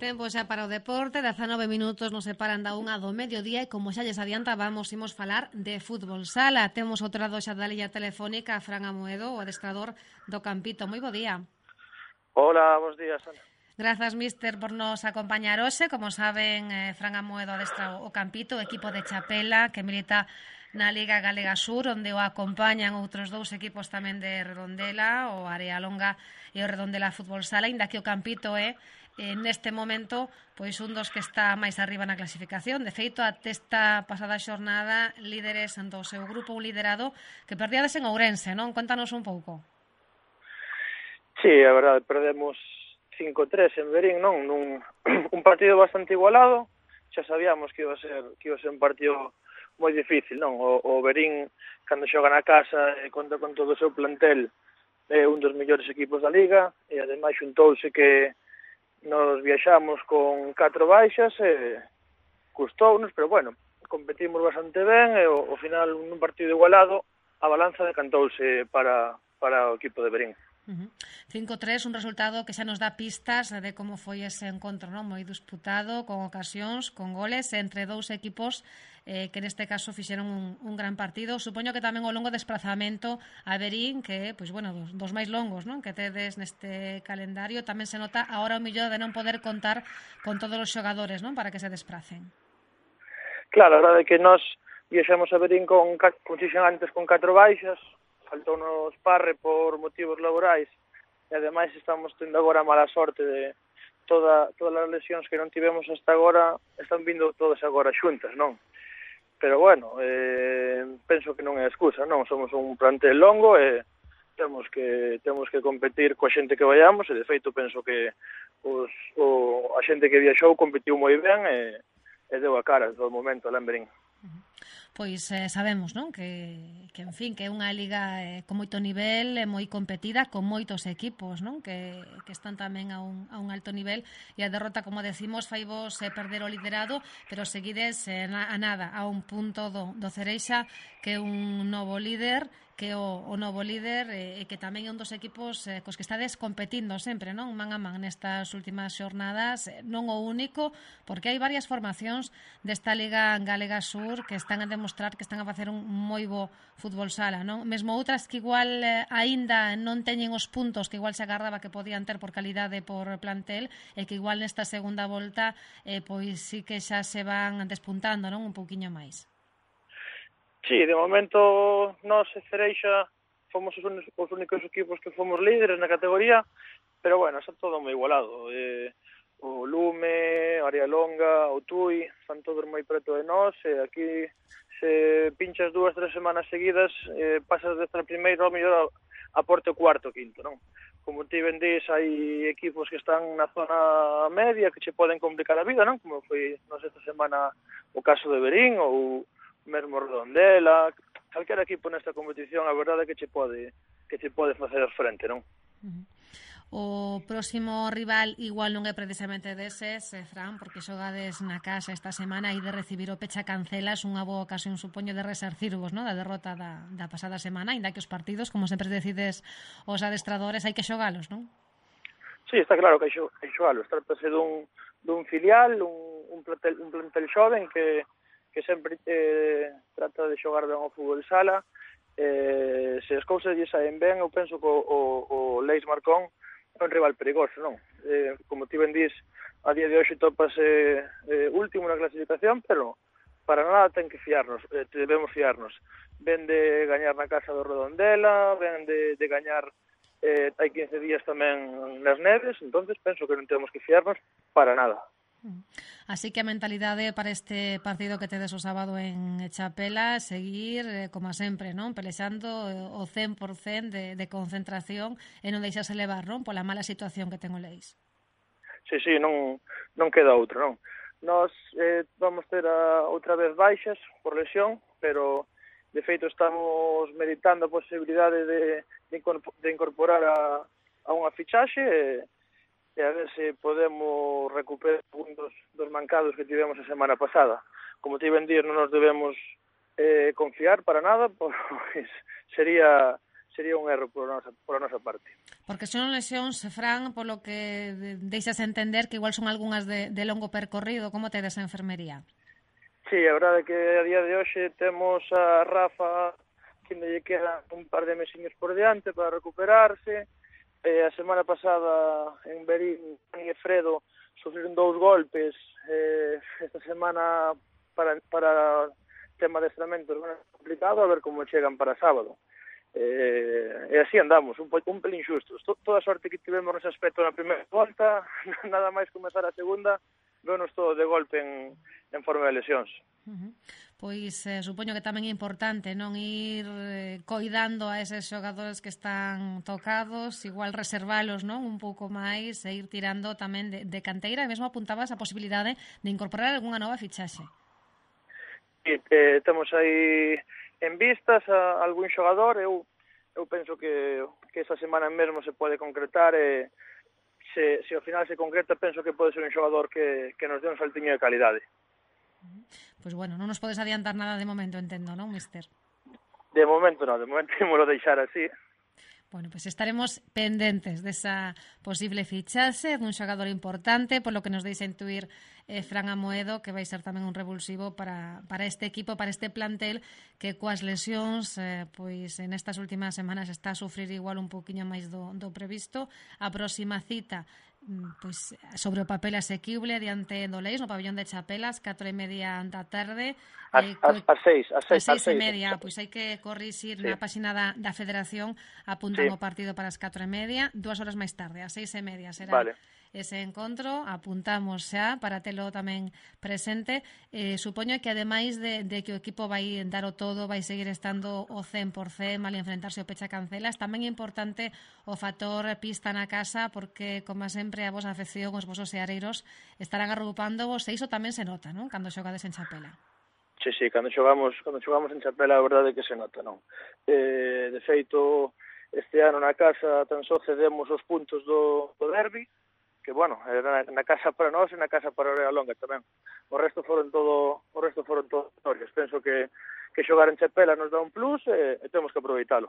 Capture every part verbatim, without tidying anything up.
Tempo xa para o deporte, dezanove minutos nos separan da unha do mediodía e como xa lles adiantábamos, imos falar de fútbol sala. Temos outro lado xa da liña telefónica a Fran Amoedo, o adestrador do Campito. Moi bo día. Hola, bons días, Ana. Grazas, mister, por nos acompañar hoxe. Como saben, eh, Fran Amoedo adestra o Campito, o equipo de Chapela, que milita na Liga Galega Sur, onde o acompañan outros dous equipos tamén de Redondela, o Arealonga e o Redondela Fútbol Sala, inda que o Campito é, eh, neste momento, pois un dos que está máis arriba na clasificación. De feito, até esta pasada xornada, líderes do seu grupo, un liderado que perdíades en Ourense, non? Contanos un pouco. Sí, a verdade, perdemos cinco tres en Verín, non? Nun, un partido bastante igualado, xa sabíamos que iba a ser que iba a ser un partido moi difícil, non? O, o Verín, cando xoga na casa, e conta con todo o seu plantel, é un dos mellores equipos da Liga, e ademais xuntouse que nos viaxamos con catro baixas, e custounos, pero bueno, competimos bastante ben, e ao final, nun partido igualado, a balanza decantouse para, para o equipo de Verín. Uh-huh. cinco tres, un resultado que xa nos dá pistas de como foi ese encontro, non? Moi disputado, con ocasións, con goles entre dous equipos eh, que neste caso fixeron un, un gran partido. Supoño que tamén o longo desplazamento a Verín, que, pois, bueno, dos, dos máis longos, non? Que tedes neste calendario, tamén se nota ahora o millón de non poder contar con todos os xogadores, non? Para que se despracen. Claro, a verdade é que nós viaxamos a Verín con, con xixen antes con catro baixas, faltounos Parre por motivos laborais e ademais estamos tendo agora a mala sorte de toda, todas as lesións que non tivemos hasta agora están vindo todas agora xuntas, non? Pero bueno, eh, penso que non é excusa, non? Somos un plantel longo e temos que temos que competir coa xente que vayamos e de feito penso que os, o, a xente que viaxou competiu moi ben e, e deu a cara todo o momento, lembren. Pois eh, sabemos, non? Que, que, en fin, que é unha liga eh, con moito nivel, eh, moi competida, con moitos equipos, non? Que, que están tamén a un, a un alto nivel e a derrota, como decimos, fai vos eh, perder o liderado, pero seguides eh, na, a nada, a un punto do, do Cereixa, que é un novo líder, que o, o novo líder e eh, que tamén é un dos equipos eh, cos que estades competindo sempre, non? Man a man nestas últimas xornadas, eh, non o único, porque hai varias formacións desta Liga Galega Sur que están a demostrar que están a facer un moi bo fútbol sala, non? Mesmo outras que igual eh, aínda non teñen os puntos que igual se agardaba que podían ter por calidade por plantel e que igual nesta segunda volta eh, pois sí que xa se van despuntando, non? Un pouquiño máis. Sí, de momento nós e Cereixa fomos os, un, os únicos equipos que fomos líderes na categoría, pero bueno, está todo moi igualado. Eh, o Lume, Arealonga, o Tui, están todos moi preto de nós, e aquí se pinchas dúas, tres semanas seguidas, eh, pasas desde a primeira ao mellor a, a porte o cuarto, quinto, non? Como ti vendís, hai equipos que están na zona media que che poden complicar a vida, non? Como foi nos esta semana o caso de Verín ou mesmo Redondela, calquera equipo nesta competición, a verdade é que che pode que che pode facer frente, non? Uh-huh. O próximo rival igual non é precisamente deses, eh, Fran, porque xogades na casa esta semana e de recibir o Pecha Cancelas, unha boa ocasión, supoño, de resarcirvos, non? Da derrota da, da pasada semana, ainda que os partidos, como sempre decides os adestradores, hai que xogalos, non? Sí, está claro que hai, xo, hai xogalos, trátase dun, dun filial, un, un, plantel, un plantel xoven que que sempre eh, trata de xogar ben ao fútbol sala. Eh, se as cousas lle saen ben, eu penso que o, o, o Leis Marcón é un rival perigoso, non? Eh, como ti ben dís, a día de hoxe topase eh, último na clasificación, pero para nada ten que fiarnos, eh, debemos fiarnos. Ven de gañar na casa do Redondela, ven de, de gañar eh, hai quince días tamén nas Neves, entonces penso que non temos que fiarnos para nada. Así que a mentalidade para este partido que tedes o sábado en Chapela, seguir, eh, como sempre, non? Pelexando o cen por cen de, de concentración e non deixarse levar, non? Pola mala situación que ten o Leis. Sí, sí, non, non queda outro, non? Nós eh, vamos ter a, outra vez baixas por lesión, pero de feito estamos meditando a posibilidade de, de incorporar a, a unha fichaxe e e a ver se podemos recuperar un dos, dos mancados que tivemos a semana pasada. Como te iban a dir, non nos debemos eh, confiar para nada, pois sería sería un erro por a nosa, por a nosa parte. Porque son lesións, Fran, polo que deixas entender que igual son algunhas de, de longo percorrido, como tedes a enfermería? Sí, a verdade é que a día de hoxe temos a Rafa que lle queda un par de mesiños por diante para recuperarse. Eh, a semana pasada en Berín e Fredo sufriron dous golpes. Eh, esta semana para, para tema de estrenamento é complicado, a ver como chegan para sábado. Eh, e así andamos, un, un pelín xustos. Toda a sorte que tivemos nese aspecto na primeira volta, nada máis comezar a segunda, venos todo de golpe en, en forma de lesións. Uh-huh. Pois eh, supoño que tamén é importante non ir eh, coidando a eses xogadores que están tocados, igual reservalos non un pouco máis e ir tirando tamén de, de canteira, e mesmo apuntabas a posibilidade de incorporar algunha nova fichaxe. Sí, eh, temos aí en vistas a algún xogador, eu, eu penso que, que esa semana mesmo se pode concretar e se, se ao final se concreta penso que pode ser un xogador que, que nos dé un saltiño de calidade. Pois bueno, non nos podes adiantar nada de momento, entendo, non, mister? De momento non, de momento ímolo deixar así. Bueno, pois pues estaremos pendentes desa posible fichaxe dun xogador importante, por lo que nos deixa intuir eh, Fran Amoedo, que vai ser tamén un revulsivo para, para este equipo, para este plantel, que coas lesións, eh, pois en estas últimas semanas está a sufrir igual un poquinho máis do, do previsto. A próxima cita pois sobre o papel asequible diante do Leis no pabellón de Chapelas, catro e media da tarde. As, eh, as, as seis, as seis, as seis as e media, pois hai que corrixir sí. Na páxina da, da Federación apuntan sí. O partido para as catro e media, dúas horas máis tarde, as seis e media será vale. Ese encontro, apuntamos xa para telo tamén presente. Eh, supoño que ademais de, de que o equipo vai dar o todo, vai seguir estando o cen por cen mal enfrentarse o Pecha Cancelas, tamén é importante o factor pista na casa, porque, como sempre, a vosa afección, os vosos seareiros estarán agrupando vos, e iso tamén se nota, non? Cando xogades en Chapela. Sí, sí, cando xogamos, cando xogamos en Chapela, a verdade é que se nota, non? Eh, de feito, este ano na casa tan só cedemos os puntos do, do derbi, que, bueno, era na casa para nós e na casa para Orea Longa tamén. O resto foron todo, o resto foron todo historias. Penso que, que xogar en Chapela nos dá un plus e, e temos que aproveitalo.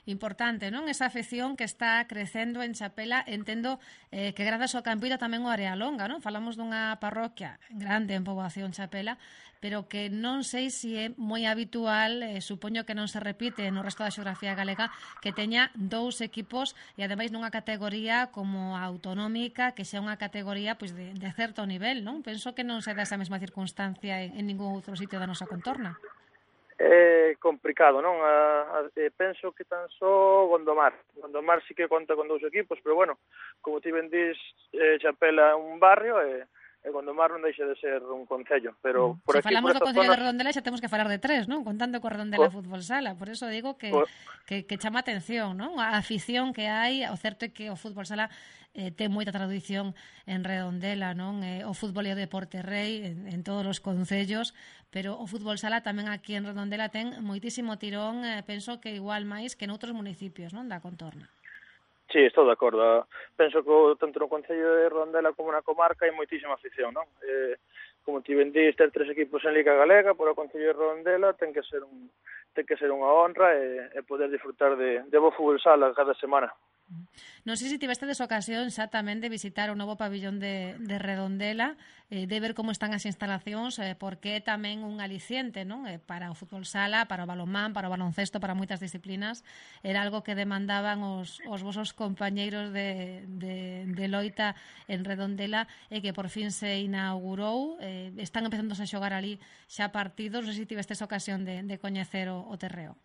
Importante, non? Esa afección que está crecendo en Chapela, entendo eh, que grazas ao Campito tamén o Area Longa, non? Falamos dunha parroquia grande en poboación Chapela, pero que non sei se é moi habitual, eh, supoño que non se repite no resto da xeografía galega, que teña dous equipos e ademais nunha categoría como a autonómica, que xa unha categoría pois, de, de certo nivel, non? Penso que non se dá esa mesma circunstancia en, en ningún outro sitio da nosa contorna. É complicado, non? A, a, penso que tan só Gondomar. Gondomar sí que conta con dous equipos, pero bueno, como ti ben dís, eh, Chapela é un barrio e, e Gondomar non deixa de ser un concello. Pero por Se aquí, falamos por do Concello zonas... de Redondela xa temos que falar de tres, non? Contando co Redondela Co... Fútbol Sala. Por eso digo que, Co... que, que chama atención, non? A afición que hai, o certo é que o Fútbol Sala eh, ten moita tradición en Redondela, non? Eh, o fútbol e o deporte rei en, en todos os concellos, pero o fútbol sala tamén aquí en Redondela ten moitísimo tirón, eh, penso que igual máis que noutros municipios, non, da contorna. Sí, estou de acordo. Penso que tanto no Concello de Redondela como na comarca hai moitísima afición, non? Eh, como ti ben dís, ter tres equipos en Liga Galega, por o Concello de Redondela ten que ser un ten que ser unha honra e, e poder disfrutar de, de bo fútbol sala cada semana. Non sei se tivestedes ocasión xa tamén de visitar o novo pabillón de, de Redondela, eh, de ver como están as instalacións, eh, porque é tamén un aliciente, non? Eh, para o fútbol sala, para o balonmán, para o baloncesto, para moitas disciplinas. Era algo que demandaban os, os vosos compañeiros de, de, de loita en Redondela e que por fin se inaugurou. Eh, están empezando a xogar ali xa partidos. Non sei se tivestes ocasión de, de coñecer o, o terreo.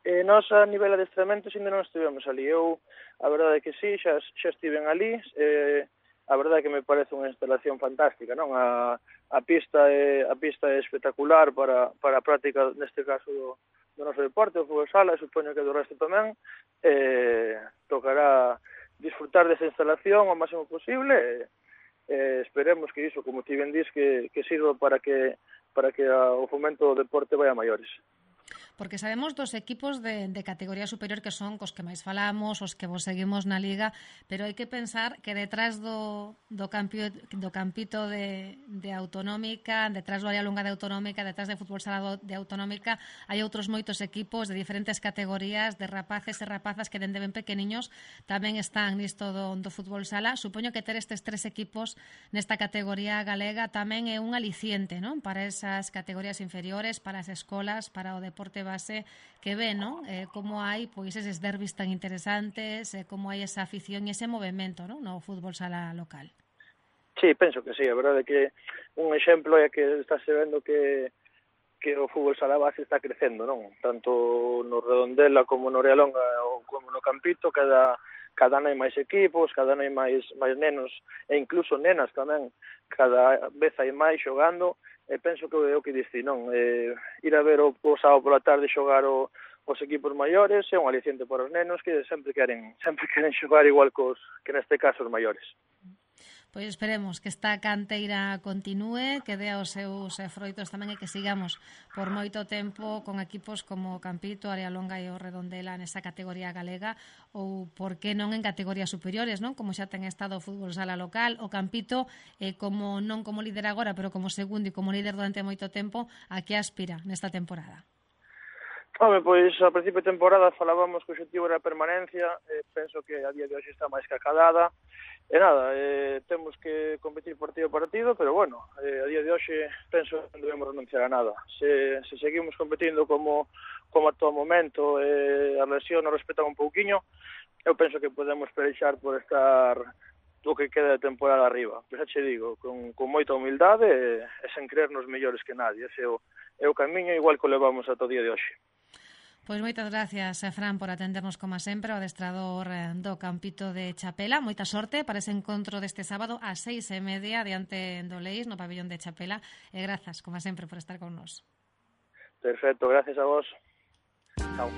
Eh, nós a nivel de adestramentos ainda non estivemos ali. Eu, a verdade é que sí, xa, xa estiven ali. Eh, a verdade é que me parece unha instalación fantástica, non? A, a pista é a pista é espectacular para, para a práctica, neste caso, do, do noso deporte, o fútbol sala, e supoño que do resto tamén. Eh, tocará disfrutar desa instalación o máximo posible e eh, esperemos que iso, como ti ben dís, que, que sirva para que, para que a, o fomento do deporte vai a maiores. Porque sabemos dos equipos de, de categoría superior que son cos que máis falamos, os que vos seguimos na Liga, pero hai que pensar que detrás do, do, campio, do campito de, de Autonómica, detrás do área longa de Autonómica, detrás de Fútbol Sala de Autonómica, hai outros moitos equipos de diferentes categorías, de rapaces e rapazas que dende ben pequeniños tamén están nisto do, do Fútbol Sala. Supoño que ter estes tres equipos nesta categoría galega tamén é un aliciente, non? Para esas categorías inferiores, para as escolas, para o deporte base que ve, non? Eh, como hai pois eses derbis tan interesantes, eh, como hai esa afición e ese movimento, non? No fútbol sala local. Sí, penso que sí, a verdade é que un exemplo é que está se vendo que que o fútbol sala base está crecendo, non? Tanto no Redondela como no Realonga ou como no Campito, cada cada ano hai máis equipos, cada ano hai máis máis nenos e incluso nenas tamén, cada vez hai máis xogando. E penso que é o que diste, non? Eh, ir a ver o, o sábado pola tarde xogar o, os equipos maiores é un aliciente para os nenos que sempre queren sempre queren xogar igual cos que neste caso os maiores. Pois esperemos que esta canteira continúe, que dea os seus froitos tamén e que sigamos por moito tempo con equipos como Campito, Área Longa e o Redondela nesa categoría galega ou, por que non, en categorías superiores, non? Como xa ten estado o fútbol sala local, o Campito, eh, como non como líder agora, pero como segundo e como líder durante moito tempo, a que aspira nesta temporada? Home, pois a principio de temporada falábamos que o objetivo era a permanencia, eh, penso que a día de hoxe está máis que acadada, e nada, eh, temos que competir partido a partido, pero bueno, eh, a día de hoxe penso que non debemos renunciar a nada. Se, se seguimos competindo como, como a todo momento, eh, a lesión nos respetan un pouquiño, eu penso que podemos pelexar por estar o que queda de temporada arriba. Pero xa che digo, con, con moita humildade e, e sen creernos mellores que nadie. Ese é o, é o camiño igual que o levamos ata o día de hoxe. Pois moitas gracias, Fran, por atendernos como sempre, o adestrador do Campito de Chapela. Moita sorte para ese encontro deste sábado ás seis e media diante do Leís no pabellón de Chapela. E grazas, como sempre, por estar con nós. Perfecto, gracias a vos. Chao.